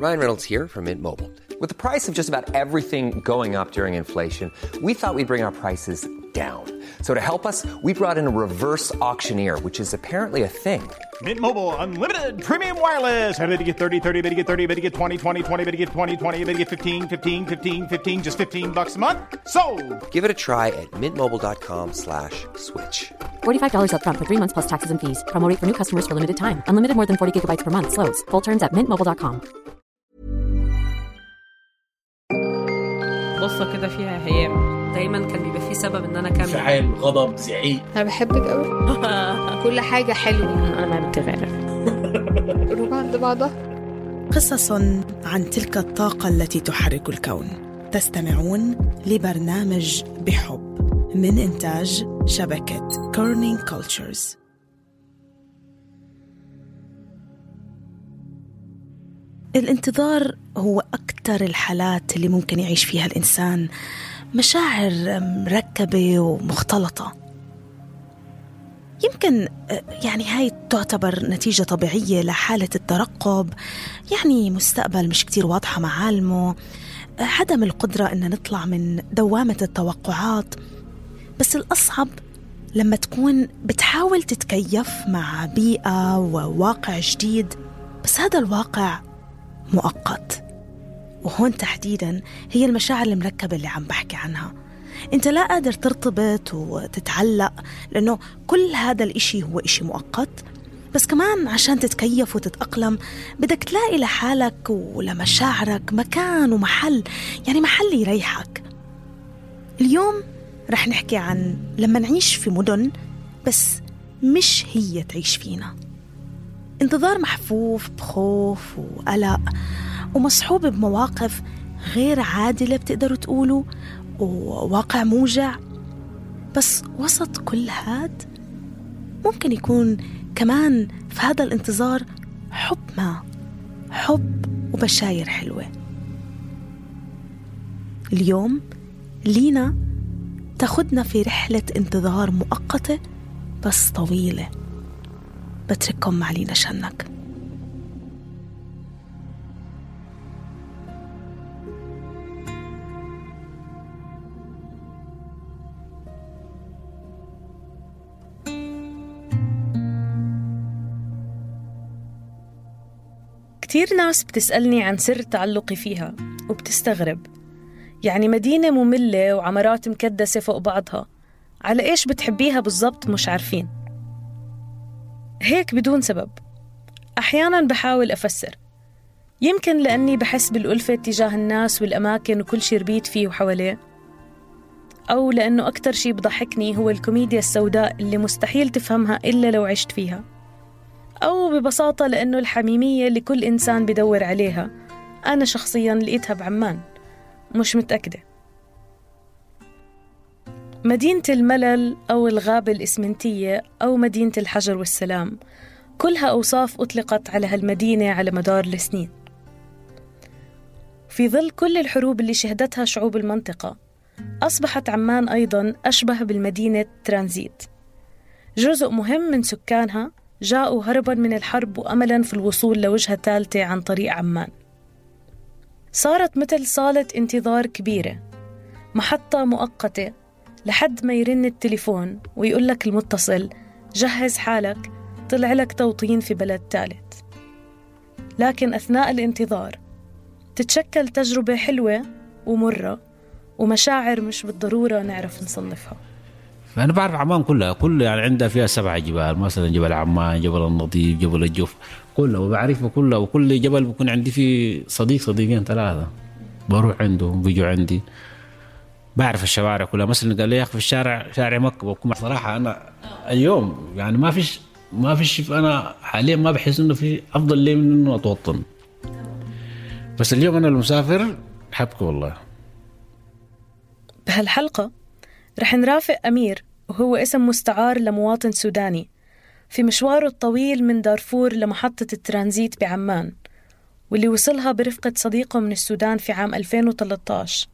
Ryan Reynolds here from Mint Mobile. With the price of just about everything going up during inflation, we thought we'd bring our prices down. So to help us, we brought in a reverse auctioneer, which is apparently a thing. Mint Mobile Unlimited Premium Wireless. How to get 30, 30, how to get 30, how to get 20, 20, 20, how to get 20, 20, how to get 15, 15, 15, 15, just $15 a month? Sold! Give it a try at mintmobile.com/switch. $45 up front for 3 months plus taxes and fees. Promo rate for new customers for limited time. Unlimited more than 40 gigabytes per month. Slows full terms at mintmobile.com. قصة كده فيها هيام. دايما كان بيبقى فيه سبب ان انا كمل. فعل، غضب، زعيق. انا بحبك قوي. كل حاجة حلوة. انا ما بتغير. قلوب عند بعضها. قصص عن تلك الطاقة التي تحرك الكون. تستمعون لبرنامج بحب من إنتاج شبكة كورنينج كولتشرز. الانتظار هو أكثر الحالات اللي ممكن يعيش فيها الإنسان مشاعر مركبة ومختلطة. يمكن يعني هاي تعتبر نتيجة طبيعية لحالة الترقب، يعني مستقبل مش كتير واضحة معالمه، عدم القدرة إن نطلع من دوامة التوقعات. بس الأصعب لما تكون بتحاول تتكيف مع بيئة وواقع جديد، بس هذا الواقع مؤقت. وهون تحديداً هي المشاعر المركبة اللي عم بحكي عنها. انت لا قادر ترتبط وتتعلق، لأنه كل هذا الاشي هو اشي مؤقت. بس كمان عشان تتكيف وتتأقلم بدك تلاقي لحالك ولمشاعرك مكان ومحل، يعني محل يريحك. اليوم رح نحكي عن لما نعيش في مدن بس مش هي تعيش فينا. انتظار محفوف بخوف وقلق ومصحوب بمواقف غير عادلة بتقدروا تقولوا، وواقع موجع. بس وسط كل هاد ممكن يكون كمان في هذا الانتظار حب وبشاير حلوة. اليوم لينا تاخدنا في رحلة انتظار مؤقتة بس طويلة. بترككم مع لينا شنك. كتير ناس بتسألني عن سر تعلقي فيها وبتستغرب، يعني مدينة مملة وعمارات مكدسة فوق بعضها، على إيش بتحبيها بالضبط؟ مش عارفين. هيك بدون سبب. أحياناً بحاول أفسر، يمكن لأني بحس بالألفة تجاه الناس والأماكن وكل شي ربيت فيه وحواليه، أو لأنه أكتر شي بضحكني هو الكوميديا السوداء اللي مستحيل تفهمها إلا لو عشت فيها، أو ببساطة لأنه الحميمية اللي كل إنسان بدور عليها أنا شخصياً لقيتها بعمان، مش متأكدة. مدينة الملل أو الغابة الإسمنتية أو مدينة الحجر والسلام، كلها أوصاف أطلقت على هالمدينة على مدار السنين. في ظل كل الحروب اللي شهدتها شعوب المنطقة، أصبحت عمان أيضاً أشبه بالمدينة ترانزيت. جزء مهم من سكانها جاءوا هرباً من الحرب وأملاً في الوصول لوجهة ثالثة عن طريق عمان. صارت مثل صالة انتظار كبيرة، محطة مؤقتة لحد ما يرن التليفون ويقول لك المتصل جهز حالك، طلع لك توطين في بلد ثالث. لكن أثناء الانتظار تتشكل تجربة حلوة ومرة ومشاعر مش بالضرورة نعرف نصنفها. أنا بعرف عمان كلها يعني عندها فيها 7 جبال، مثلا جبل عمان، جبل النظيف، جبل الجوف، كلها وبعرفها كلها. وكل جبل بكون عندي فيه صديقين 3 بروح عندهم بيجوا عندي. بعرف الشوارع كلها. مثلا قال لي يا أخي في شارع مكة، بكون صراحة أنا اليوم يعني ما فيش أنا حاليا ما بحس إنه في أفضل لي من إنه أتوطن. بس اليوم أنا المسافر حبك والله. بهالحلقة رح نرافق أمير، وهو اسم مستعار لمواطن سوداني، في مشواره الطويل من دارفور لمحطة الترانزيت بعمان، واللي وصلها برفقة صديقه من السودان في عام 2013،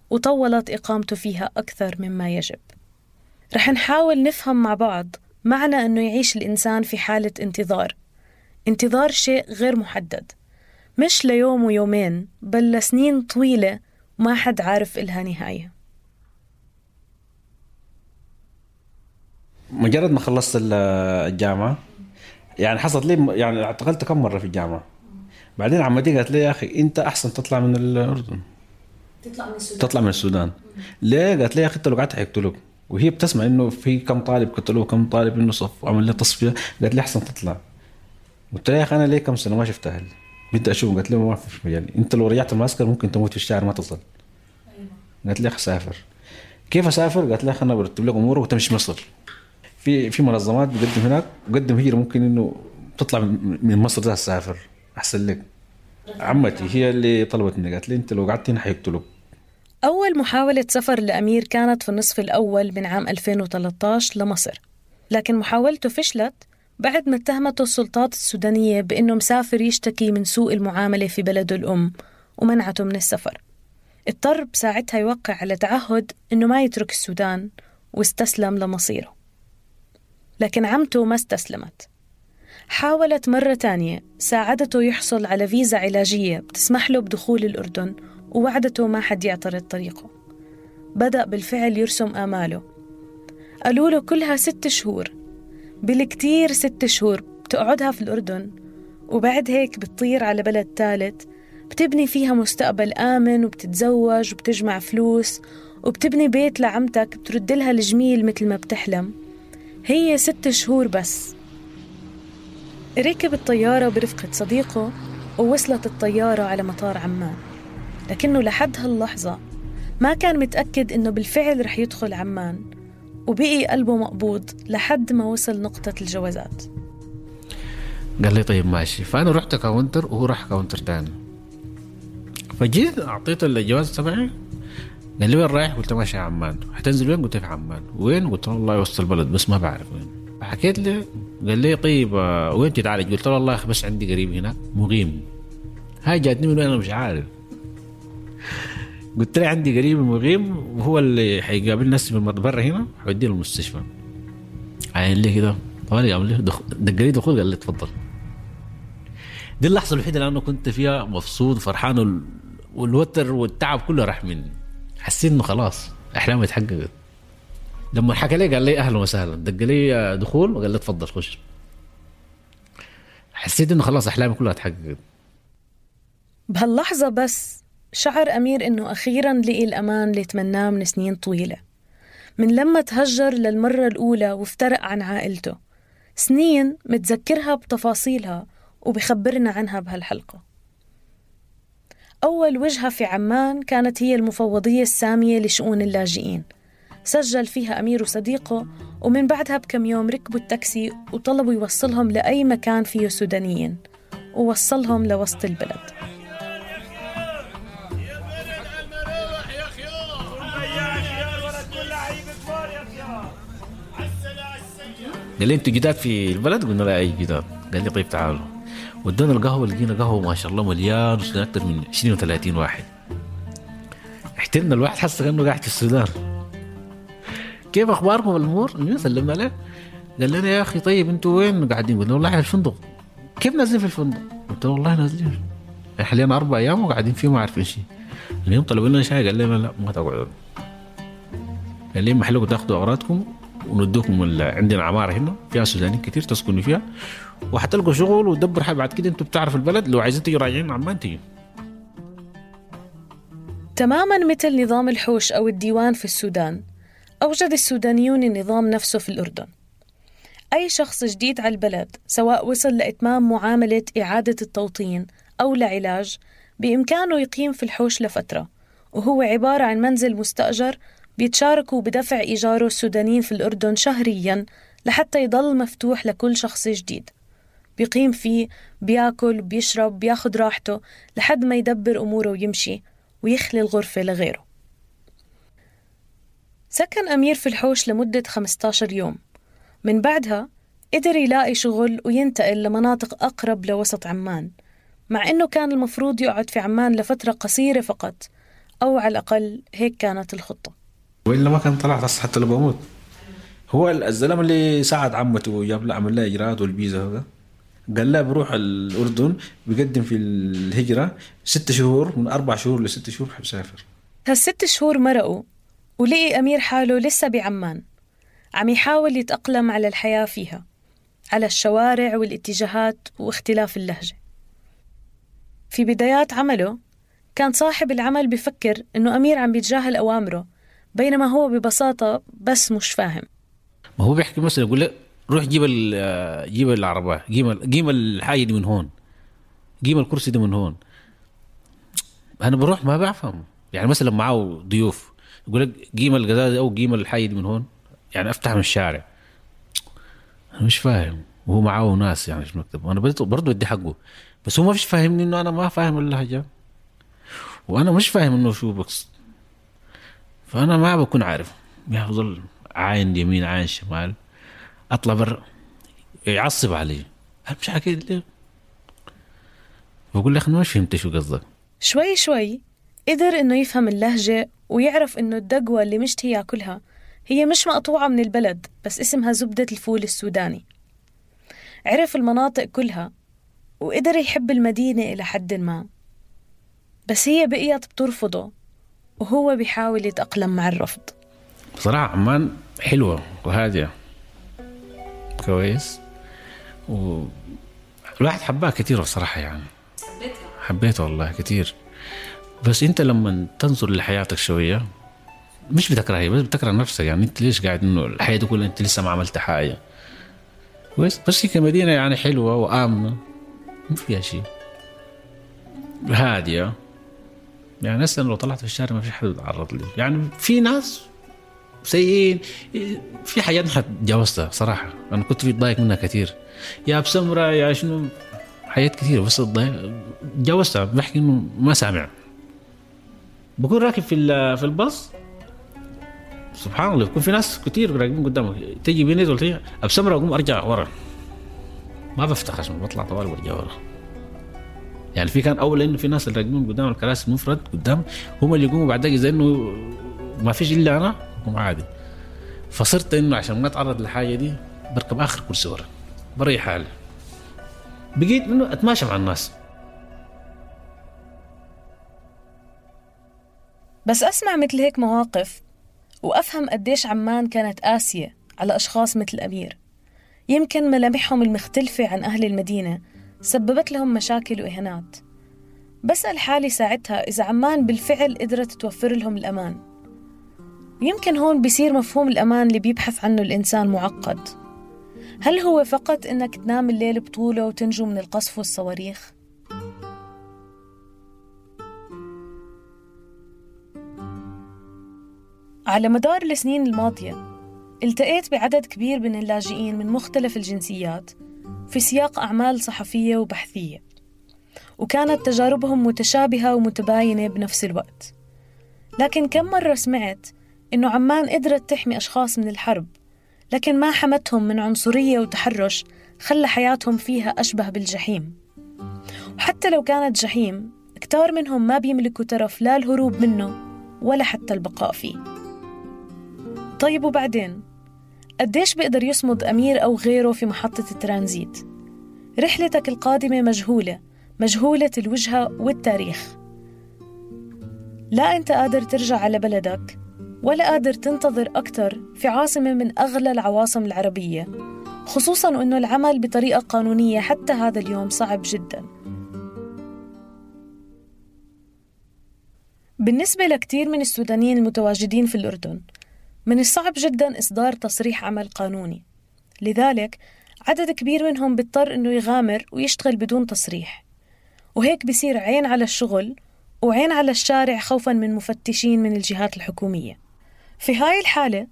وطولت إقامته فيها أكثر مما يجب. رح نحاول نفهم مع بعض معنى أنه يعيش الإنسان في حالة انتظار شيء غير محدد، مش ليوم ويومين، بل لسنين طويلة وما حد عارف إلها نهاية. مجرد ما خلصت الجامعة يعني حصلت لي يعني اعتقلت كم مرة في الجامعة. بعدين عمتي قالت لي يا أخي أنت أحسن تطلع من الأردن، تطلع من السودان. ليه؟ قالت لي يا أخي أنت لو قعدت حيقتلوك. وهي بتسمع إنه في كم طالب قتلوه كم طالب إنه صف وعمل لي تصفية. قالت لي أحسن تطلع. قلت لها يا أخي أنا ليه كم سنة ما شفت أهلي بدي أشوف. قالت لي ما في مجال، أنت لو رجعت المعسكر ممكن تموت في الشارع ما تصل. قالت لي يا أخي سافر. كيف أسافر؟ قالت لي يا أخي أنا برتب لك أمورك وتمشي مصر. في منظمات بقدم هناك وقدم هجرة، ممكن إنه تطلع من مصر ده تسافر أحسن لك. عمتي هي اللي طلبت مني، قالت لي أنت لو قعدت هنا حيقتلوك. أول محاولة سفر لأمير كانت في النصف الأول من عام 2013 لمصر، لكن محاولته فشلت بعد ما اتهمته السلطات السودانية بأنه مسافر يشتكي من سوء المعاملة في بلده الأم ومنعته من السفر. اضطر بساعتها يوقع على تعهد أنه ما يترك السودان واستسلم لمصيره. لكن عمته ما استسلمت، حاولت مرة تانية، ساعدته يحصل على فيزا علاجية بتسمح له بدخول الأردن ووعدته ما حد يعترض طريقه. بدأ بالفعل يرسم آماله. قالوا له كلها 6 شهور، بالكتير 6 شهور بتقعدها في الأردن، وبعد هيك بتطير على بلد ثالث بتبني فيها مستقبل آمن وبتتزوج وبتجمع فلوس وبتبني بيت لعمتك بترد لها الجميل مثل ما بتحلم. هي 6 شهور بس. ركب الطيارة برفقة صديقه ووصلت الطيارة على مطار عمان، لكنه لحد هاللحظة ما كان متأكد إنه بالفعل رح يدخل عمان، وبقي قلبه مقبوض لحد ما وصل نقطة الجوازات. قال لي طيب ماشي. فأنا رحت كاونتر وهو راح كاونتر تاني. فجيت أعطيته الجواز تبعي. قال لي وين رايح؟ قلت ماشي عمان. هتنزل وين؟ قلت في عمان. وين؟ قلت والله وسط البلد بس ما بعرف وين. حكيت له. قال لي طيب وين تتعالج؟ قلت له والله بس عندي قريب هناك مقيم. هاي جاتني من وين أنا مش عارف. قلت له عندي قريب مقيم وهو اللي حيقابل ناس من برا هنا حوديه المستشفى. عين لي كده طوالي قام لي دقلي دخول. قال لي تفضل. دي اللحظة الوحيدة اللي أنا كنت فيها مبسوط فرحان والوتر والتعب كله راح مني. حسيت إنه خلاص أحلامي اتحققت. لما حكى لي قال لي أهلا وسهلا، دق لي دخول وقال لي تفضل خش. حسيت إنه خلاص أحلامي كلها اتحققت. بهاللحظة بس شعر أمير إنه أخيراً لقي الأمان اللي تمناه من سنين طويلة، من لما تهجر للمرة الأولى وافترق عن عائلته. سنين متذكرها بتفاصيلها وبخبرنا عنها بهالحلقة. أول وجهة في عمان كانت هي المفوضية السامية لشؤون اللاجئين. سجل فيها أمير وصديقه، ومن بعدها بكم يوم ركبوا التاكسي وطلبوا يوصلهم لأي مكان فيه سودانيين، ووصلهم لوسط البلد. قال لي انتوا جداد في البلد؟ قلنا لا اي جداد. قال لي طيب تعالوا. ودونا القهوة، لقينا قهوة ما شاء الله مليان وسودان أكثر من 20 و30 واحد. احتلنا الواحد حس كأنه قاعد في السودان. كيف أخباركم الأمور؟ سلمنا عليه. قال لنا يا أخي طيب انتوا وين قاعدين؟ قلنا والله في الفندق. كيف نازلين في الفندق؟ قلت والله نازلين حاليا 4 أيام وقاعدين فيه ما عارفين شيء. اليوم طلبوا لنا شاي. قال لنا لا ما تقعدوا. قال لي محلكم تاخذوا أغراضكم وندوكم عندنا عمارة هنا فيها سودانيين كتير تسكنوا فيها وحتلقوا شغل ودبر حاجة. بعد كده انتوا بتعرفوا البلد، لو عايزين تيجي راجعين عمان تيجي. تماماً مثل نظام الحوش أو الديوان في السودان، أوجد السودانيون النظام نفسه في الأردن. أي شخص جديد على البلد سواء وصل لإتمام معاملة إعادة التوطين أو لعلاج بإمكانه يقيم في الحوش لفترة، وهو عبارة عن منزل مستأجر بيتشاركوا بدفع إيجاره السودانيين في الأردن شهرياً لحتى يضل مفتوح لكل شخص جديد. بيقيم فيه، بياكل، بيشرب، بياخد راحته لحد ما يدبر أموره ويمشي ويخلي الغرفة لغيره. سكن أمير في الحوش لمدة 15 يوم. من بعدها قدر يلاقي شغل وينتقل لمناطق أقرب لوسط عمان، مع أنه كان المفروض يقعد في عمان لفترة قصيرة فقط، أو على الأقل هيك كانت الخطة. وإلا ما كان طلعت حتى لو بموت. هو الزلمة اللي ساعد عمته وجاب له عمل له إجراءات والبيزا هذا قال لا بروح الأردن بيقدم في الهجرة 6 شهور، من 4 شهور ل6 شهور حبسافر. هال6 شهور مرقوا ولقي أمير حاله لسه بعمان عم يحاول يتأقلم على الحياة فيها، على الشوارع والاتجاهات واختلاف اللهجة. في بدايات عمله كان صاحب العمل بفكر إنه أمير عم بيتجاهل أوامره، بينما هو ببساطة بس مش فاهم. ما هو بيحكي مثلا يقول لك روح جيب العربة، قيم الحاجة دي من هون، قيم الكرسي ده من هون. أنا بروح ما بفهم، يعني مثلا معه ضيوف يقول لك قيم القزازة أو قيم الحاجة دي من هون، يعني أفتح من الشارع. أنا مش فاهم، وهو معه ناس يعني في المكتب، وأنا برضو أدي حقه، بس هو ما فيش فاهمني إنه أنا ما فاهم اللهجة، وأنا مش فاهم إنه شو بقصد. فأنا ما بكون عارف، بيفضل عين يمين عين شمال، أطلع برا يعصب علي، أنا مش حكيت ليه. بقول لك أنا مش فهمت شو قصدك. شوي شوي قدر إنه يفهم اللهجة ويعرف إنه الدقوة اللي مشتهي ياكلها هي مش مقطوعة من البلد، بس اسمها زبدة الفول السوداني. عرف المناطق كلها وقدر يحب المدينة إلى حد ما، بس هي بقيت بترفضه وهو بيحاول يتأقلم مع الرفض. بصراحة عمان حلوة وهادية كويس، والواحد حبها كتير بصراحة، يعني حبيتها والله كتير. بس انت لما تنظر لحياتك شوية مش بتكرهها، بس بتكره نفسك. يعني انت ليش قاعد انه الحياة دي كلها انت لسه ما عملت حاجة كويس؟ بس هي كمدينة يعني حلوة وآمنة، ما فيها شيء، هادية. يعني هسه لو طلعت في الشارع ما في حد يتعرض لي، يعني في ناس سيئين، في حاجات ما تجاوزتها صراحة. أنا كنت في ضايق منها كتير، يا بسمرة يا شنو، حاجات كتير، بس تجاوزتها. بحكي إنه ما سامع. بكون راكب في الباص سبحان الله، بكون في ناس كتير راكبين قدامك، تيجي بيني ولا تيجي أبسمرة أقوم أرجع ورا، ما بفتح عشان بطلع طوال وارجع ورا. يعني في كان أول إنه في ناس اللي راكبين قدام الكراسي المفرد قدام هم اللي يقوموا بعد ذلك، زي إنه ما فيش إلا أنا أقوم عادي. فصرت إنه عشان ما أتعرض لحاجة دي بركب آخر كرسي ورا، بريح حالي، بقيت إنه أتماشى مع الناس. بس أسمع مثل هيك مواقف وأفهم قديش عمان كانت قاسية على أشخاص مثل أمير. يمكن ملامحهم المختلفة عن أهل المدينة سببت لهم مشاكل وإهانات. بسأل حالي ساعتها إذا عمان بالفعل قدرت توفر لهم الأمان. يمكن هون بيصير مفهوم الأمان اللي بيبحث عنه الإنسان معقد. هل هو فقط إنك تنام الليل بطولة وتنجو من القصف والصواريخ؟ على مدار السنين الماضية التقيت بعدد كبير من اللاجئين من مختلف الجنسيات في سياق أعمال صحفية وبحثية، وكانت تجاربهم متشابهة ومتباينة بنفس الوقت. لكن كم مرة سمعت إنه عمان قدرت تحمي أشخاص من الحرب، لكن ما حمتهم من عنصرية وتحرش خلى حياتهم فيها أشبه بالجحيم. وحتى لو كانت جحيم، كتار منهم ما بيملكوا ترف لا الهروب منه ولا حتى البقاء فيه. طيب وبعدين؟ قديش بيقدر يصمد أمير أو غيره في محطة الترانزيت؟ رحلتك القادمة مجهولة الوجهة والتاريخ. لا أنت قادر ترجع على بلدك ولا قادر تنتظر أكتر في عاصمة من أغلى العواصم العربية، خصوصاً أنه العمل بطريقة قانونية حتى هذا اليوم صعب جداً. بالنسبة لكتير من السودانيين المتواجدين في الأردن، من الصعب جداً إصدار تصريح عمل قانوني، لذلك عدد كبير منهم بيضطر إنه يغامر ويشتغل بدون تصريح، وهيك بيصير عين على الشغل وعين على الشارع خوفاً من مفتشين من الجهات الحكومية. في هاي الحالة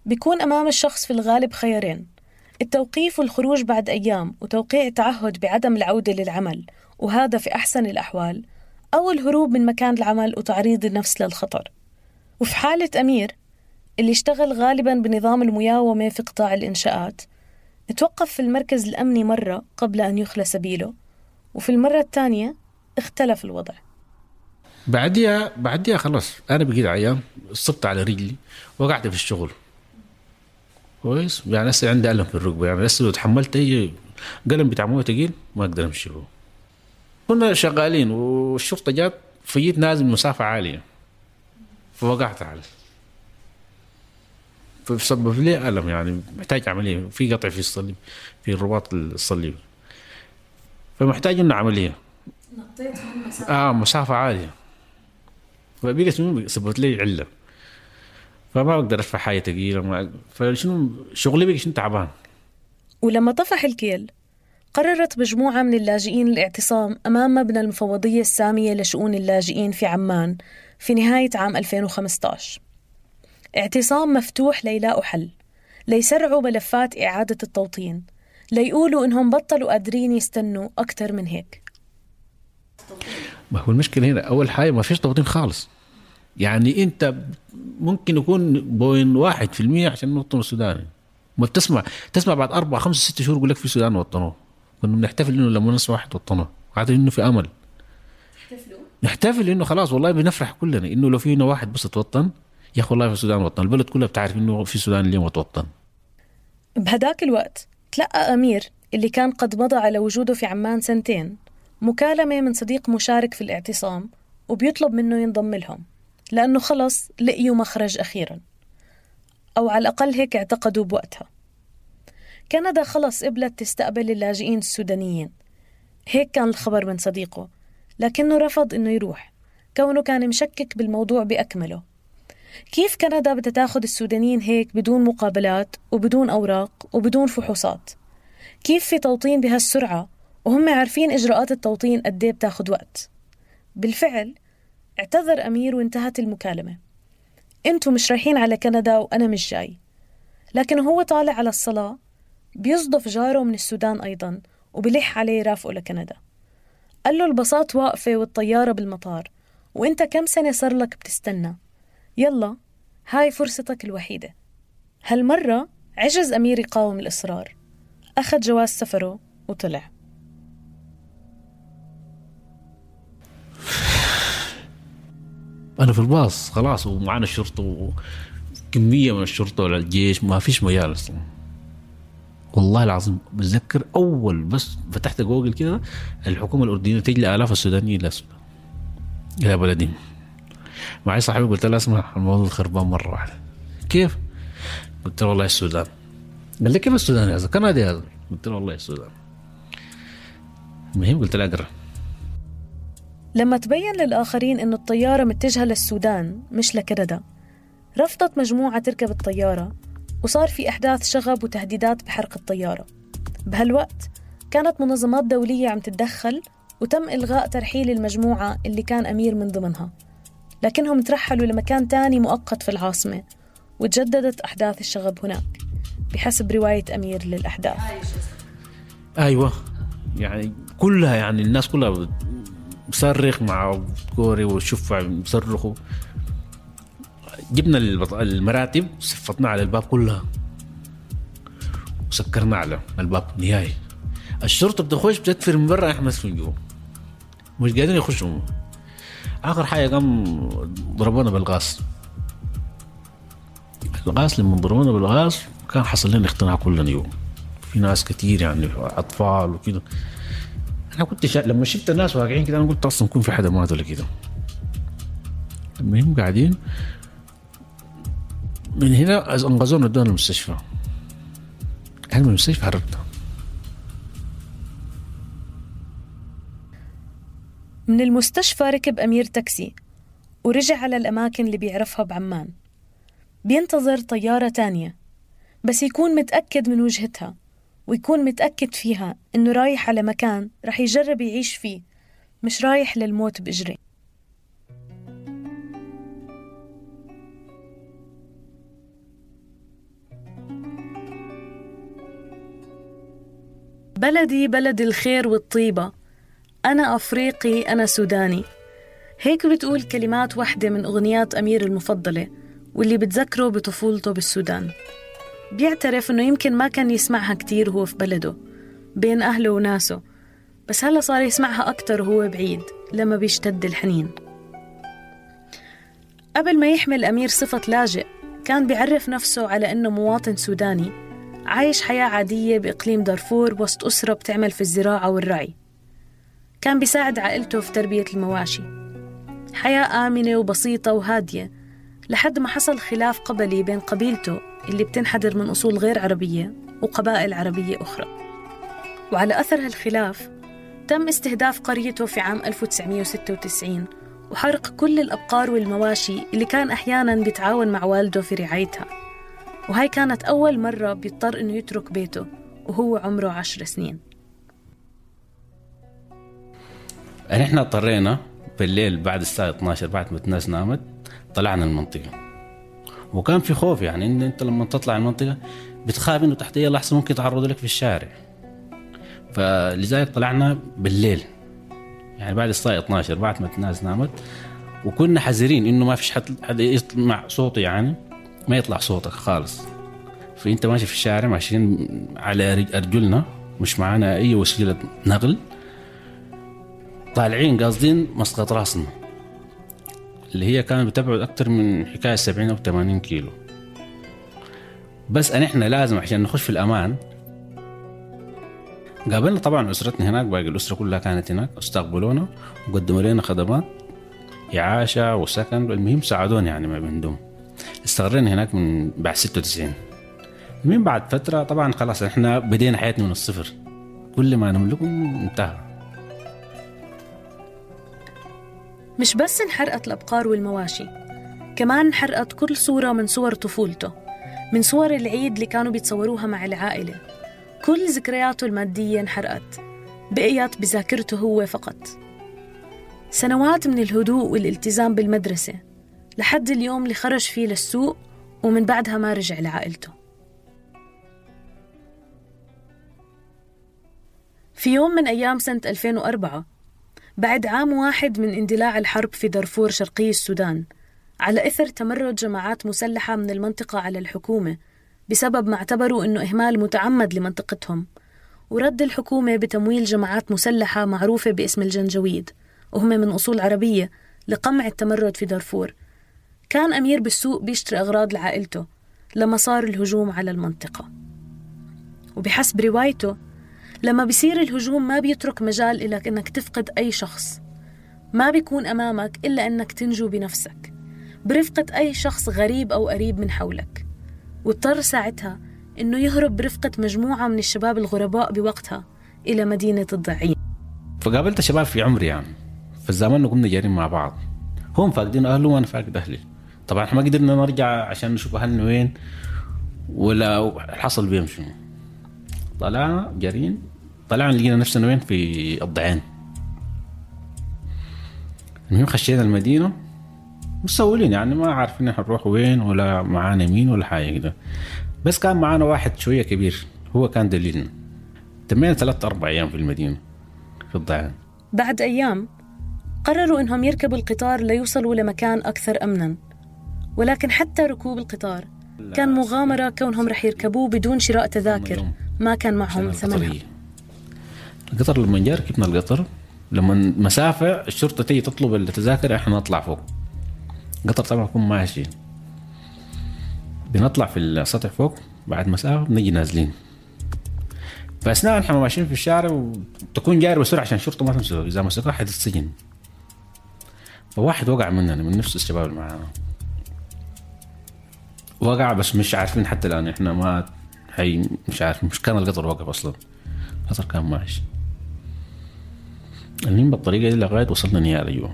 بيكون أمام الشخص في الغالب خيارين: التوقيف والخروج بعد أيام وتوقيع تعهد بعدم العودة للعمل، وهذا في أحسن الأحوال، أو الهروب من مكان العمل وتعريض النفس للخطر. وفي حالة أمير اللي اشتغل غالباً بنظام المياومة في قطاع الإنشاءات، اتوقف في المركز الأمني مرة قبل أن يخلى سبيله، وفي المرة الثانية اختلف الوضع. بعديها خلاص أنا بقيت عيان، صبت على رجلي وقعت في الشغل كويس. يعني لسه عندي ألم في الركبة، يعني لسه لو تحملت أي قلم بتاع مويه تقيل ما أقدر أمشي هو. كنا شغالين والشرطة جات فجيت نازل مسافة عالية فوقعت على فسبب لي ألم يعني محتاج عملية في قطع في الصليب في الرباط الصليبي فمحتاج إنه عملية. نطيت من مسافة مسافة عالية فبقيت سببت لي علة فما أقدر أرفع حاجة تقيلة فشنو شغلي بقى شنو تعبان. ولما طفح الكيل قررت مجموعة من اللاجئين الاعتصام أمام مبنى المفوضية السامية لشؤون اللاجئين في عمان في نهاية عام 2015. اعتصام مفتوح ليلاقوا حل، ليسرعوا ملفات إعادة التوطين، ليقولوا إنهم بطلوا قادرين يستنوا أكتر من هيك. ما هو المشكلة هنا أول حاجة ما فيش توطين خالص. يعني أنت ممكن يكون 1% عشان نوطن السوداني. ما تسمع بعد 4 5 6 شهور يقول لك في السودان وطنوه. كنا بنحتفل إنه لما ناس واحد وطنوه قاعدين إنه في أمل. نحتفل إنه خلاص والله بنفرح كلنا إنه لو فينا واحد بس توطن يا أخي والله في السودان وطن. البلد كلها بتعرف إنه في السودان اليوم توطن. بهداك الوقت تلقى أمير اللي كان قد مضى على وجوده في عمان 2 سنين مكالمة من صديق مشارك في الاعتصام وبيطلب منه ينضم لهم لأنه خلص لقيوا مخرج أخيراً، أو على الأقل هيك اعتقدوا بوقتها. كندا خلص قبلت تستقبل اللاجئين السودانيين، هيك كان الخبر من صديقه، لكنه رفض إنه يروح كونه كان مشكك بالموضوع بأكمله. كيف كندا بدها تاخد السودانيين هيك بدون مقابلات وبدون أوراق وبدون فحوصات؟ كيف في توطين بهالسرعة وهم عارفين إجراءات التوطين قديه بتاخد وقت؟ بالفعل اعتذر أمير وانتهت المكالمة. انتوا مش رايحين على كندا وأنا مش جاي. لكن هو طالع على الصلاة بيصدف جاره من السودان أيضا وبيلح عليه يرافقه لكندا. قال له الباصات واقفة والطيارة بالمطار وانت كم سنة صار لك بتستنى، يلا هاي فرصتك الوحيدة. هالمرة عجز أمير يقاوم الإصرار، أخذ جواز سفره وطلع. أنا في الباص خلاص ومعنا الشرطة وكمية من الشرطة ولا الجيش ما فيش مجال أصلا. والله العظيم بتذكر أول بس فتحت جوجل كده الحكومة الأردنية تجلي آلاف السودانيين للسودان إلى بلدهم. معي صاحبي قلت له اسمع الموضوع خربان مرة واحدة. كيف؟ قلت له والله السودان. قال لي كيف السودان يا زلمة؟ كندا يا زلمة. قلت له والله السودان. المهم قلت له أقرأ. لما تبين للآخرين إنه الطيارة متجهة للسودان مش لكندا، رفضت مجموعة تركب الطيارة وصار في أحداث شغب وتهديدات بحرق الطيارة. بهالوقت كانت منظمات دولية عم تتدخل وتم إلغاء ترحيل المجموعة اللي كان أمير من ضمنها، لكنهم ترحلوا لمكان تاني مؤقت في العاصمة وتجددت أحداث الشغب هناك بحسب رواية أمير للأحداث. أيوة يعني كلها يعني الناس كلها بصرخ مع كوري والشفع بصرخوا. جبنا المراتب صفتنا على الباب كلها وسكرنا على الباب نهائي. الشرطة بتخش بتدفر من برا احنا في جوا مش قادرين يخشوا. آخر حاجة قام ضربونا بالغاز. الغاز لما ضربونا بالغاز كان حصل لنا اختناق كلنا يوم. في ناس كتير يعني أطفال وكده. أنا كنت لما شفت الناس واقعين كده أنا قلت أصلا يكون في حدا مات ولا كده. المهم قاعدين من هنا انقذونا ودونا المستشفى. أنا من المستشفى هربنا. من المستشفى ركب أمير تاكسي ورجع على الأماكن اللي بيعرفها بعمان. بينتظر طيارة تانية بس يكون متأكد من وجهتها ويكون متأكد فيها إنه رايح على مكان رح يجرب يعيش فيه، مش رايح للموت بإجري. بلدي بلد الخير والطيبة، أنا أفريقي أنا سوداني. هيك بتقول كلمات واحدة من أغنيات أمير المفضلة واللي بتذكره بطفولته بالسودان. بيعترف أنه يمكن ما كان يسمعها كتير وهو في بلده بين أهله وناسه، بس هلأ صار يسمعها أكتر وهو بعيد لما بيشتد الحنين. قبل ما يحمل أمير صفة لاجئ كان بيعرف نفسه على أنه مواطن سوداني عايش حياة عادية بإقليم دارفور وسط أسرة بتعمل في الزراعة والرعي. كان بيساعد عائلته في تربية المواشي، حياة آمنة وبسيطة وهادية، لحد ما حصل خلاف قبلي بين قبيلته اللي بتنحدر من أصول غير عربية وقبائل عربية أخرى. وعلى أثر هالخلاف تم استهداف قريته في عام 1996 وحرق كل الأبقار والمواشي اللي كان أحياناً بيتعاون مع والده في رعايتها. وهاي كانت أول مرة بيضطر إنه يترك بيته وهو عمره 10 سنين. نحن اضطرينا بالليل بعد الساعة 12 بعد ما الناس نامت طلعنا المنطقة، وكان في خوف يعني إن أنت لما تطلع المنطقة بتخاف إنه تحت أي لحظة ممكن يتعرضوا لك في الشارع. فلذلك طلعنا بالليل يعني بعد الساعة 12 بعد ما الناس نامت، وكنا حذرين إنه ما فيش حد يطلع صوته، يعني ما يطلع صوتك خالص. فأنت ماشي في الشارع ماشيين على أرجلنا، مش معنا أي وسيلة نقل، طالعين قاصدين مسقط راسنا اللي هي كانت بتبعد أكتر من حكاية 70 أو 80 كيلو. بس إحنا لازم عشان نخش في الأمان. قابلنا طبعا أسرتنا هناك، باقي الأسرة كلها كانت هناك، استقبلونا وقدموا لنا خدمات إعاشة وسكن. المهم ساعدونا يعني ما بيندوم. استغرينا هناك من بعد 96. من بعد فترة طبعا خلاص إحنا بدينا حياتنا من الصفر، كل ما نملكه انتهى. مش بس انحرقت الأبقار والمواشي، كمان انحرقت كل صورة من صور طفولته، من صور العيد اللي كانوا بيتصوروها مع العائلة. كل ذكرياته المادية انحرقت، بقيت بذاكرته هو فقط. سنوات من الهدوء والالتزام بالمدرسة لحد اليوم اللي خرج فيه للسوق، ومن بعدها ما رجع لعائلته. في يوم من أيام سنة 2004 بعد عام واحد من اندلاع الحرب في دارفور شرقي السودان، على إثر تمرد جماعات مسلحة من المنطقة على الحكومة بسبب ما اعتبروا أنه إهمال متعمد لمنطقتهم، ورد الحكومة بتمويل جماعات مسلحة معروفة باسم الجنجويد وهم من أصول عربية لقمع التمرد في دارفور. كان أمير بالسوق بيشتري أغراض لعائلته لما صار الهجوم على المنطقة. وبحسب روايته لما بيصير الهجوم ما بيترك مجال إلك إنك تفقد أي شخص، ما بيكون أمامك إلا إنك تنجو بنفسك برفقة أي شخص غريب أو قريب من حولك. واضطر ساعتها إنه يهرب برفقة مجموعة من الشباب الغرباء بوقتها إلى مدينة الضعين. فقابلت شباب في عمري يعني في الزمان كنا جارين مع بعض، هم فاقدين أهله وأنا فاقد أهلي. طبعا ما قدرنا نرجع عشان نشوف أهلنا وين ولا حصل بيهم شنو. طلعنا جارين، طلعنا لقينا نفسنا وين في الضعين. المهم خشينا المدينة مسؤولين يعني ما عارفين نروح وين ولا معانا مين ولا حاجة كده. بس كان معانا واحد شوية كبير هو كان دليلنا. تمينا 3-4 أيام في المدينة في الضعين. بعد أيام قرروا إنهم يركبوا القطار ليوصلوا لمكان أكثر أمنا، ولكن حتى ركوب القطار كان مغامرة كونهم رح يركبوه بدون شراء تذاكر، ما كان معهم ثمنها. القطر لما جاء ركبنا القطر، لما مسافة الشرطة تيجي تطلب التذاكر احنا نطلع فوق القطر طبعا يكون ماشي، بنطلع في السطح فوق بعد مسافة بنجي نازلين. فأثناء نحن ماشيين في الشارع وتكون جاري بسرعة عشان الشرطة ما تمسكه، إذا مسكه حد السجن. فواحد وقع مننا من نفس الشباب اللي معانا، وقع بس مش عارفين حتى الآن احنا ما هي مش عارفين، مش كان القطر واقف أصلا، القطر كان ماشي. المهم بالطريقة دي لغاية وصلنا نيارة جوا.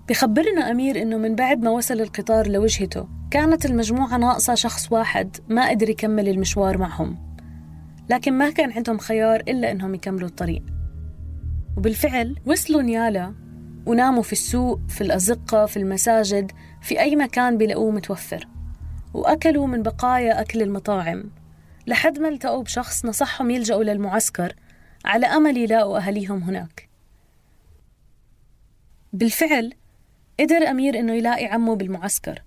بخبرنا أمير إنه من بعد ما وصل القطار لوجهته كانت المجموعة ناقصة شخص واحد ما قدر يكمل المشوار معهم، لكن ما كان عندهم خيار إلا إنهم يكملوا الطريق. وبالفعل وصلوا نيالا وناموا في السوق، في الأزقة، في المساجد، في أي مكان بيلاقوه متوفر، وأكلوا من بقايا أكل المطاعم لحد ما التقوا بشخص نصحهم يلجأوا للمعسكر على أمل يلاقوا أهليهم هناك. بالفعل قدر أمير إنه يلاقي عمه بالمعسكر،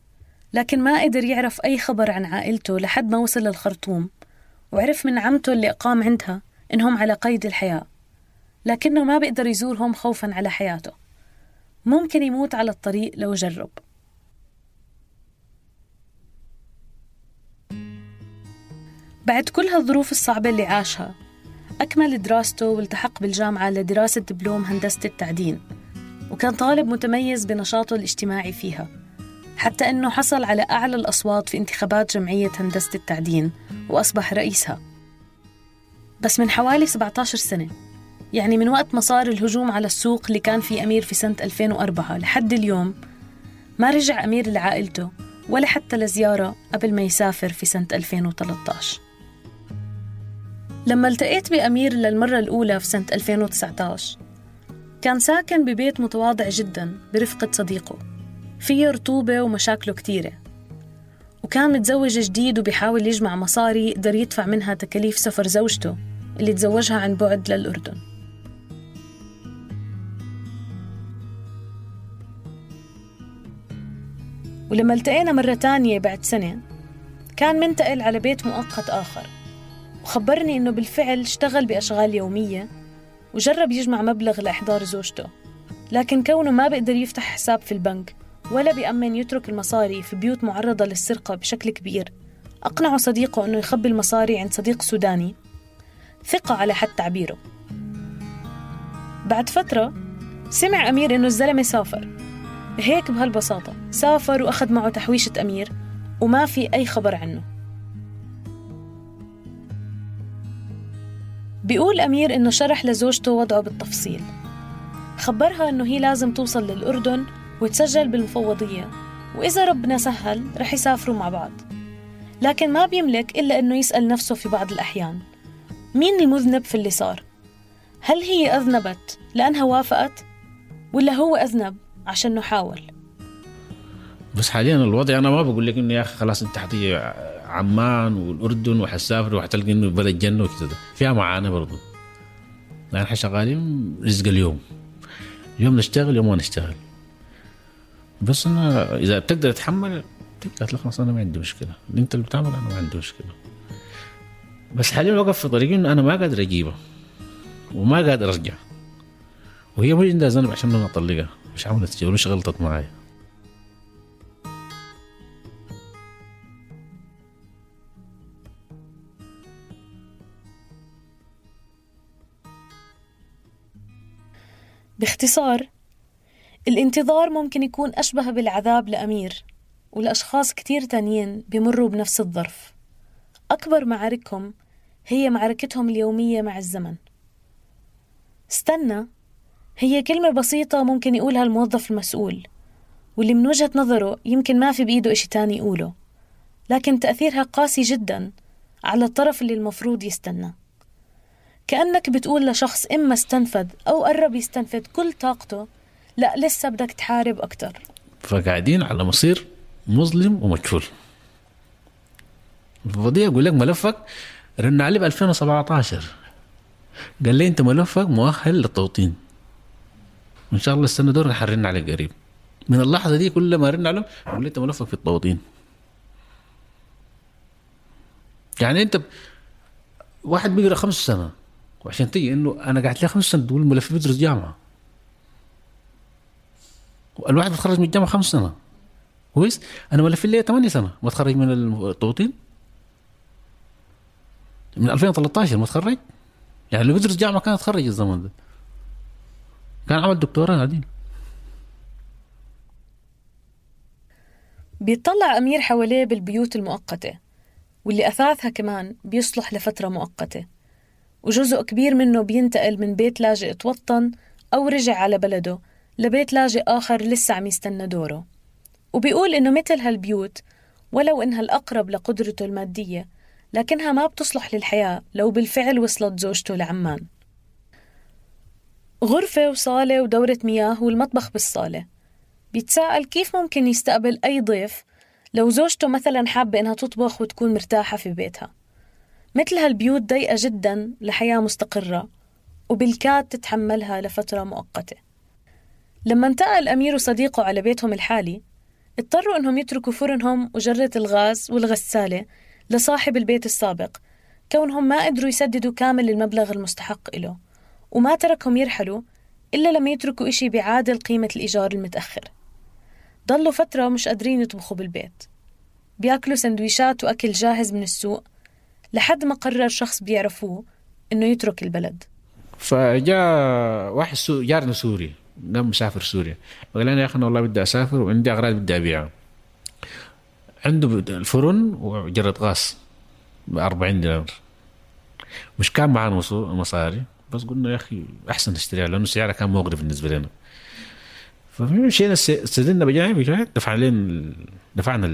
لكن ما قدر يعرف أي خبر عن عائلته لحد ما وصل للخرطوم، وعرف من عمته اللي أقام عندها إنهم على قيد الحياة، لكنه ما بيقدر يزورهم خوفاً على حياته، ممكن يموت على الطريق لو جرب. بعد كل هالظروف الصعبة اللي عاشها أكمل دراسته والتحق بالجامعة لدراسة دبلوم هندسة التعدين، وكان طالب متميز بنشاطه الاجتماعي فيها، حتى أنه حصل على أعلى الأصوات في انتخابات جمعية هندسة التعدين وأصبح رئيسها. بس من حوالي 17 سنة، يعني من وقت ما صار الهجوم على السوق اللي كان فيه أمير في سنة 2004 لحد اليوم، ما رجع أمير لعائلته ولا حتى لزيارة قبل ما يسافر في سنة 2013. لما التقيت بأمير للمرة الأولى في سنة 2019 كان ساكن ببيت متواضع جداً برفقة صديقه، فيه رطوبة ومشاكله كتيرة، وكان متزوج جديد وبيحاول يجمع مصاري يقدر يدفع منها تكاليف سفر زوجته اللي تزوجها عن بعد للأردن. ولما التقينا مرة تانية بعد سنة كان منتقل على بيت مؤقت آخر، وخبرني إنه بالفعل اشتغل بأشغال يومية وجرب يجمع مبلغ لإحضار زوجته، لكن كونه ما بيقدر يفتح حساب في البنك ولا بيأمن يترك المصاري في بيوت معرضة للسرقة بشكل كبير، أقنعه صديقه إنه يخبي المصاري عند صديق سوداني ثقة على حد تعبيره. بعد فترة سمع أمير إنه الزلمة سافر، هيك بهالبساطة سافر وأخذ معه تحويشة أمير وما في أي خبر عنه. بيقول أمير إنه شرح لزوجته وضعه بالتفصيل، خبرها إنه هي لازم توصل للأردن وتسجل بالمفوضية، وإذا ربنا سهل رح يسافروا مع بعض، لكن ما بيملك إلا إنه يسأل نفسه في بعض الأحيان مين المذنب في اللي صار؟ هل هي أذنبت لأنها وافقت؟ ولا هو أذنب عشانه حاول؟ بس حاليا الوضع أنا ما بقول لك إنه يا أخي خلاص أنت حتيجي عمان والأردن وحسافر وحتلقي إنه بلد جنة وكذا، فيها معاناة برضو، يعني إحنا شغالين رزق اليوم نشتغل يوم ما نشتغل، بس أنا إذا بتقدر تتحمل تقدر خلاص أنا ما عندي مشكلة، أنت اللي بتعمل أنا ما عندي مشكلة. بس حاليا وقف في طريقي إنه أنا ما قادر أجيبها وما قادر أرجع، وهي مش عندها ذنب عشان أنا أطلقها، مش عملت شيء ولا غلطت معايا. باختصار، الانتظار ممكن يكون أشبه بالعذاب لأمير والأشخاص كتير تانيين بيمروا بنفس الظرف. أكبر معاركهم هي معركتهم اليومية مع الزمن. استنى هي كلمة بسيطة ممكن يقولها الموظف المسؤول، واللي من وجهة نظره يمكن ما في بإيده إشي تاني يقوله، لكن تأثيرها قاسي جدا على الطرف اللي المفروض يستنى. كأنك بتقول لشخص إما استنفذ أو قرب يستنفذ كل طاقته، لا لسه بدك تحارب أكتر. فقاعدين على مصير مظلم ومجهول. الفضية يقول لك ملفك رن عليه ب 2017 قال لي أنت ملفك مؤهل للتوطين، إن شاء الله السنة دور رح نرن عليك قريب. من اللحظة دي كل ما رن عليهم يقول لي أنت ملفك في التوطين. يعني أنت واحد بيقرأ 5 سنة وعشان تيجي إنه أنا قاعد لي 5 سنة تقول ملف بدرس جامعة، الواحد بتخرج من الجامعة 5 سنة كويس، أنا ملفي لي 8 سنة ما تخرج من التوطين، من 2013 ما تخرج، يعني اللي بدرس جامعة كان تخرج الزمن ده كان عمل دكتوراه عادي. بيطلع أمير حواليه بالبيوت المؤقتة واللي أثاثها كمان بيصلح لفترة مؤقتة، وجزء كبير منه بينتقل من بيت لاجئ توطن أو رجع على بلده لبيت لاجئ آخر لسه عم يستنى دوره. وبيقول إنه مثل هالبيوت ولو إنها الأقرب لقدرته المادية، لكنها ما بتصلح للحياة لو بالفعل وصلت زوجته لعمان. غرفة وصالة ودورة مياه والمطبخ بالصالة. بيتساءل كيف ممكن يستقبل أي ضيف لو زوجته مثلا حابة إنها تطبخ وتكون مرتاحة في بيتها. مثل هالبيوت ضيقة جدا لحياة مستقرة وبالكاد تتحملها لفترة مؤقتة. لما انتقل أمير وصديقه على بيتهم الحالي اضطروا إنهم يتركوا فرنهم وجرة الغاز والغسالة لصاحب البيت السابق، كونهم ما قدروا يسددوا كامل المبلغ المستحق له، وما تركهم يرحلوا إلا لما يتركوا إشي بيعادل قيمة الإيجار المتأخر. ضلوا فترة مش قادرين يطبخوا بالبيت، بياكلوا سندويشات وأكل جاهز من السوق لحد ما قرر شخص بيعرفوه إنه يترك البلد. فجاء واحد جارنا سوري قام مسافر سوريا، قال أنا يا أخي أنا والله بدي أسافر وعندي أغراض بدي أبيعها. عنده الفرن وجرة غاز ب40 دينار، مش كان معنا مصاري، بس قلنا يا أخي أحسن نشتريها لأنه سعرها كان مغري بالنسبة لنا. فمشينا استدلنا بجانب دفعنا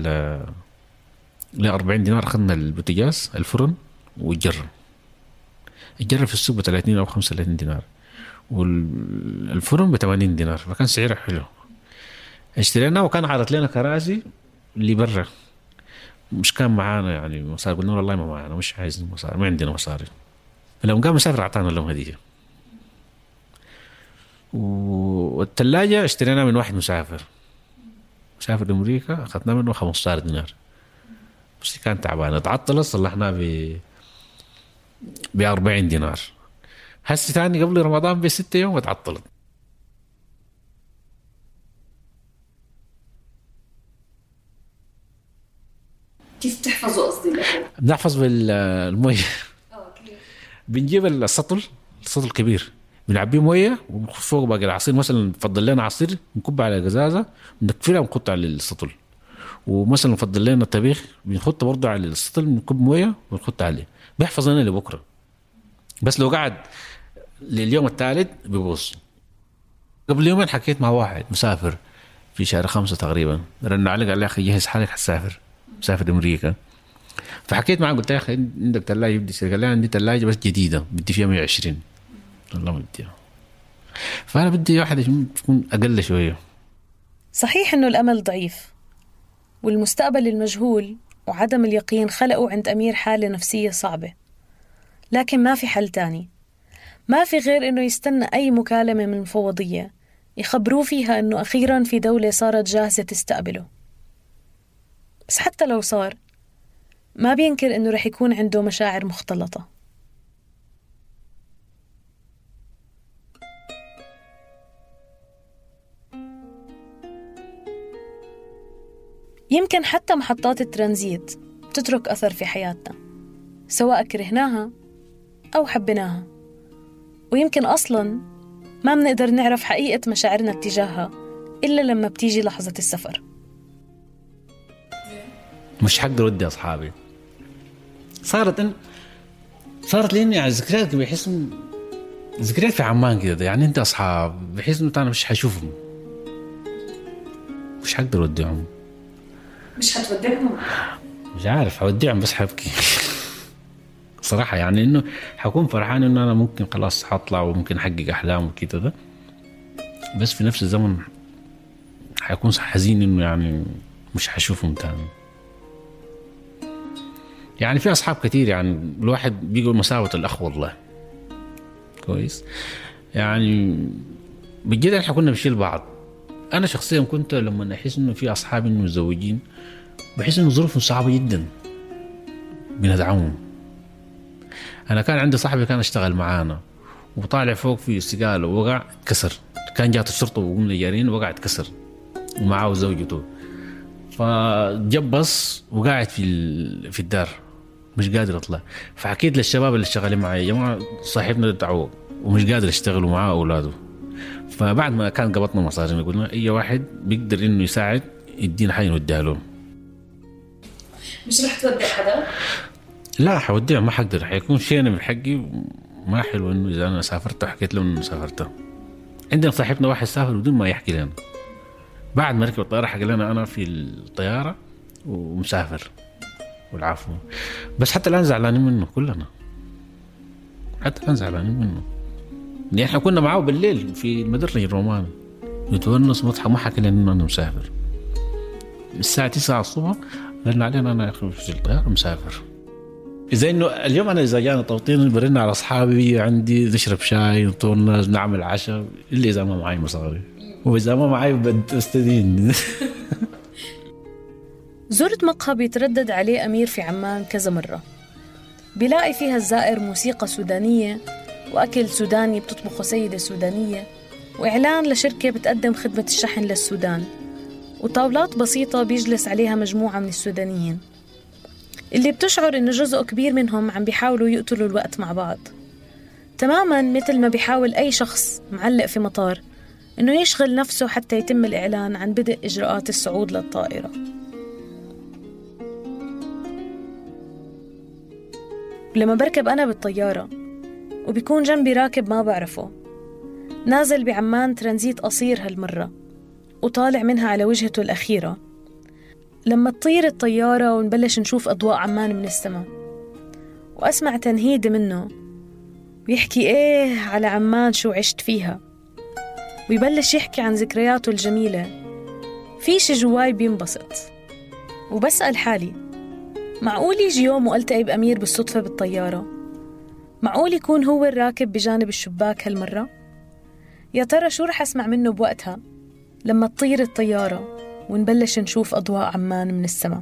ل 40 دينار، أخذنا البوتاجاز الفرن والجرة. الجرة في السوق ب30 أو 35 دينار والفرن ب80 دينار، فكان سعره حلو. اشتريناه وكان عرض لنا كراسي اللي برا، مش كان معانا يعني مصاري. قلنا والله ما معانا، مش عايزين مصاري، ما عندنا مصاري. فلما قام مسافر أعطانا لهم هدية. والثلاجة اشتريناها من واحد مسافر أمريكا، أخذنا منه 15 دينار، بس كان تعبان اتعطلت، صلحناه ب40 دينار. هسه ثاني قبل رمضان ب6 يوم اتعطلت. كيف تحفظوا قصدي الأكل؟ بنحفظ بالمية. بنجيب السطل كبير، بنعبيه مويه وفوق باقي العصير. مثلا نفضل لنا عصير نكب على قزازه ونكفيها ونحط على السطل. ومثلا نفضل لنا طبيخ بنحطه برضه على السطل، نكب مويه ونحط عليه، بيحفظ لنا لبكره. بس لو قعد لليوم الثالث بيبوظ. قبل يومين حكيت مع واحد مسافر في شهر 5 تقريبا، رن علي قال لي اخي جهز حالك مسافر امريكا. فحكيت معه قلت له يا اخي عندك ثلاجه بدي اشتري؟ قال لي عندي ثلاجه بس جديده بدي فيها 120. والله ما بديها، فانا بدي واحده تكون اقل شويه. صحيح انه الامل ضعيف والمستقبل المجهول وعدم اليقين خلقوا عند أمير حالة نفسية صعبة، لكن ما في حل تاني، ما في غير إنه يستنى أي مكالمة من المفوضية يخبروه فيها إنه أخيراً في دولة صارت جاهزة تستقبله. بس حتى لو صار ما بينكر إنه رح يكون عنده مشاعر مختلطة. يمكن حتى محطات الترانزيت تترك أثر في حياتنا، سواء كرهناها أو حبيناها، ويمكن أصلاً ما بنقدر نعرف حقيقة مشاعرنا اتجاهها إلا لما بتيجي لحظة السفر. مش حقدر ودي أصحابي، صارت لي يعني ذكريات، بحس ذكريات في عمان كده، يعني أنت أصحاب بحس إنه أنا مش حشوفهم، مش حقدر وديهم. مش هتوديهم؟ مش عارف هوديهم، بس حبكي صراحة. يعني إنه حكون فرحان إنه أنا ممكن خلاص حطلع وممكن أحقق أحلام وكده ده، بس في نفس الزمن حيكون حزين إنه يعني مش حشوفهم تاني. يعني في أصحاب كتير، يعني الواحد بيقول مساوة الأخ والله كويس. يعني بجد احنا كنا بنشيل بعض. أنا شخصيا كنت لما أحس إنه في أصحابي إنه متزوجين بحس إنه ظروفهم صعبة جدا بندعمهم. أنا كان عندي صاحبي كان اشتغل معانا وطالع فوق في استقالة ووقع اتكسر، كان جات الشرطة وقمنا جارين وقع اتكسر ومعه زوجته، فجبص وقاعد في الدار مش قادر أطلع. فحكيت للشباب اللي شغالين معي يا جماعة صاحبنا دعوه ومش قادر يشتغل ومعاه أولاده. فبعد ما كان قبضنا مصاري قلنا أي واحد بيقدر إنه يساعد يدينا حاجة نوديها لهم. مش رح تودي حدا؟ لا حوديها، ما حقدر، حيكون شيء أنا بحقي ما حلو إنه إذا أنا سافرت وحكيت لهم إنه سافرت. عندنا صاحبنا واحد سافر بدون ما يحكي لنا، بعد ما ركب الطيارة حكى لنا أنا في الطيارة ومسافر والعفو. بس حتى الآن زعلانين منه كلنا، حتى الآن زعلانين منه. يعني احنا كنا معاه بالليل في المدرج الروماني نتونس مضحك، ما حكى لنا إنه أنا مسافر. الساعة 9 الصبح قلنا علينا أنا في الطيارة مسافر. إذا إنه اليوم أنا إذا جانا توطين برنا على أصحابي عندي نشرب شاي نطولنا نعمل عشاء، إلا إذا ما معي مصاري، وإذا ما معي بدي أستدين. زرت مقهى بيتردد عليه أمير في عمان كذا مرة، بيلاقي فيها الزائر موسيقى سودانية وأكل سوداني بتطبخه سيدة سودانية، وإعلان لشركة بتقدم خدمة الشحن للسودان، وطاولات بسيطة بيجلس عليها مجموعة من السودانيين. اللي بتشعر إنه جزء كبير منهم عم بيحاولوا يقتلوا الوقت مع بعض، تماماً مثل ما بيحاول أي شخص معلق في مطار إنه يشغل نفسه حتى يتم الإعلان عن بدء إجراءات الصعود للطائرة. لما بركب أنا بالطيارة وبيكون جنبي راكب ما بعرفه، نازل بعمان ترانزيت قصير هالمرة وطالع منها على وجهته الأخيرة، لما تطير الطيارة ونبلش نشوف أضواء عمان من السماء وأسمع تنهيد منه ويحكي إيه على عمان شو عشت فيها، ويبلش يحكي عن ذكرياته الجميلة، في شي جواي بينبسط. وبسأل حالي، معقول يجي يوم وألتقي بأمير بالصدفة بالطيارة؟ معقول يكون هو الراكب بجانب الشباك هالمرة؟ يا ترى شو رح أسمع منه بوقتها لما تطير الطيارة ونبلش نشوف أضواء عمان من السماء؟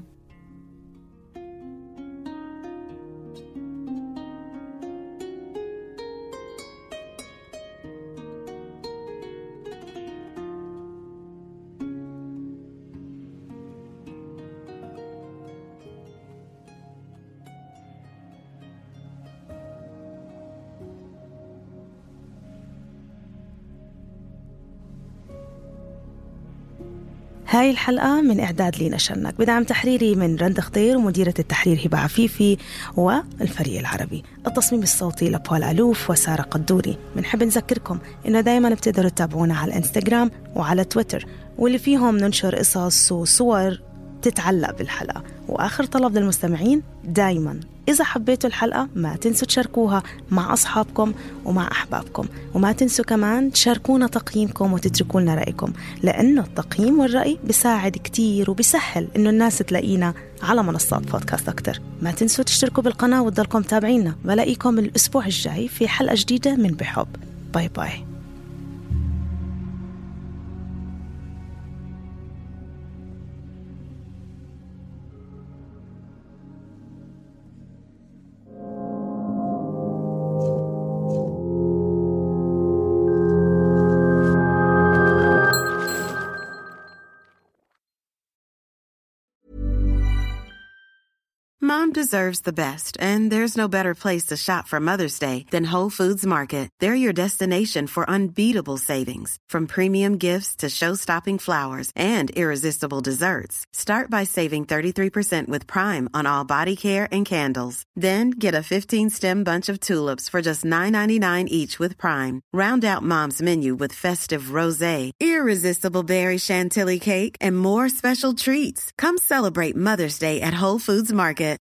هاي الحلقة من إعداد لينا شنك بدعم تحريري من رند خضير ومديرة التحرير هبة عفيفي والفريق العربي. التصميم الصوتي لبول ألوف وسارة قدوري. بنحب نذكركم إنه دايما بتقدروا تتابعونا على الانستغرام وعلى تويتر، واللي فيهم ننشر قصص وصور تتعلق بالحلقة. وآخر طلب للمستمعين، دايما إذا حبيتوا الحلقة ما تنسوا تشاركوها مع أصحابكم ومع أحبابكم، وما تنسوا كمان تشاركونا تقييمكم وتتركوا لنا رأيكم، لأنه التقييم والرأي بيساعد كتير وبيسهل إنه الناس تلاقينا على منصات بودكاست أكتر. ما تنسوا تشتركوا بالقناة وتضلكم تابعينا. بلاقيكم الأسبوع الجاي في حلقة جديدة من بحب. باي باي. Mom deserves the best, and there's no better place to shop for Mother's Day than Whole Foods Market. They're your destination for unbeatable savings, from premium gifts to show-stopping flowers and irresistible desserts. Start by saving 33% with Prime on all body care and candles. Then get a 15-stem bunch of tulips for just $9.99 each with Prime. Round out Mom's menu with festive rosé, irresistible berry chantilly cake, and more special treats. Come celebrate Mother's Day at Whole Foods Market.